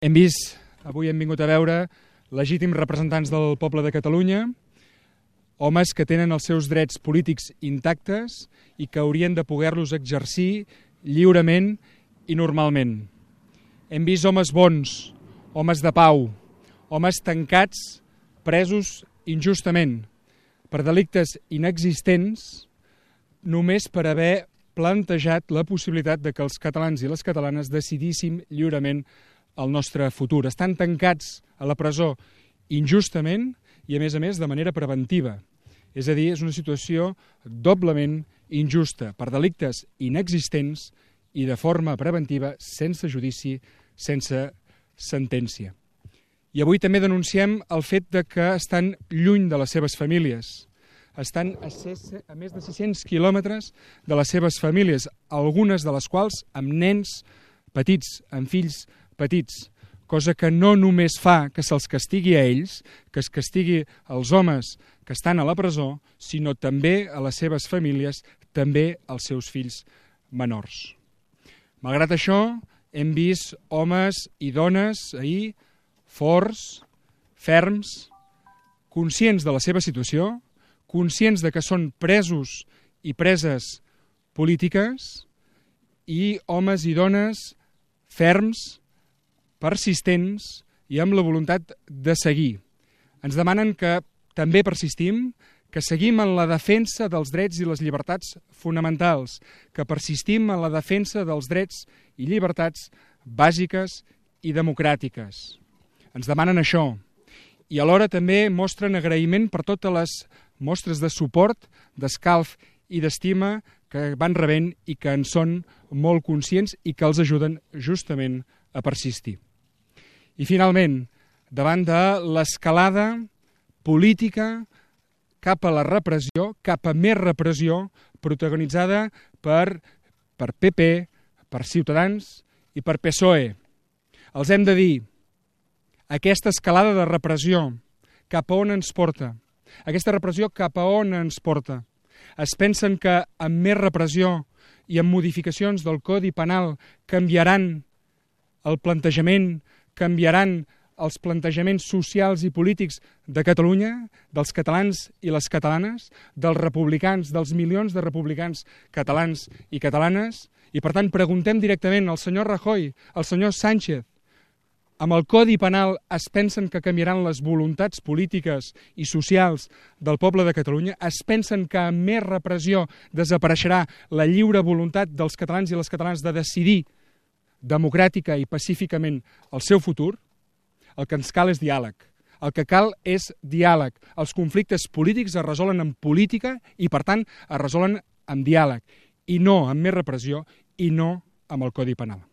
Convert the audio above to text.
Avui hem vingut a veure legítims representants del poble de Catalunya, homes que tenen els seus drets polítics intactes i que haurien de poder-los exercir lliurement i normalment. Hem vist homes bons, homes de pau, homes tancats, presos injustament, per delictes inexistents, només per haver plantejat la possibilitat de que els catalans i les catalanes decidíssim lliurement el nostre futur. Estan tancats a la presó injustament i, a més, de manera preventiva. És a dir, és una situació doblement injusta, per delictes inexistents i de forma preventiva, sense judici, sense sentència. I avui també denunciem el fet de que estan lluny de les seves famílies. Estan a més de 600 quilòmetres de les seves famílies, algunes de les quals amb nens petits, amb fills petits, cosa que no només fa que se'ls castigui a ells, que es castigui als homes que estan a la presó, sinó també a les seves famílies, també als seus fills menors. Malgrat això, hem vist homes i dones ahir forts, ferms, conscients de la seva situació, conscients de que són presos i preses polítiques, i homes i dones ferms, persistents i amb la voluntat de seguir. Ens demanen que també persistim, que seguim en la defensa dels drets i les llibertats fonamentals, que persistim en la defensa dels drets i llibertats bàsiques i democràtiques. Ens demanen això. I alhora també mostren agraïment per totes les mostres de suport, d'escalf i d'estima que van rebent i que en són molt conscients i que els ajuden justament a persistir. I finalment, davant de l'escalada política cap a la repressió, cap a més repressió, protagonitzada per PP, per Ciutadans i per PSOE. Els hem de dir, aquesta escalada de repressió cap a on ens porta? Aquesta repressió cap a on ens porta? Es pensen que amb més repressió i amb modificacions del Codi Penal canviaran el plantejament, canviaran els plantejaments socials i polítics de Catalunya, dels catalans i les catalanes, dels republicans, dels milions de republicans catalans i catalanes, i per tant preguntem directament al senyor Rajoy, al senyor Sánchez, amb el Codi Penal es pensen que canviaran les voluntats polítiques i socials del poble de Catalunya? Es pensen que amb més repressió desapareixerà la lliure voluntat dels catalans i les catalanes de decidir democràtica i pacíficament el seu futur? El que ens cal és diàleg. El que cal és diàleg. Els conflictes polítics es resolen amb política i, per tant, es resolen amb diàleg, i no amb més repressió i no amb el Codi Penal.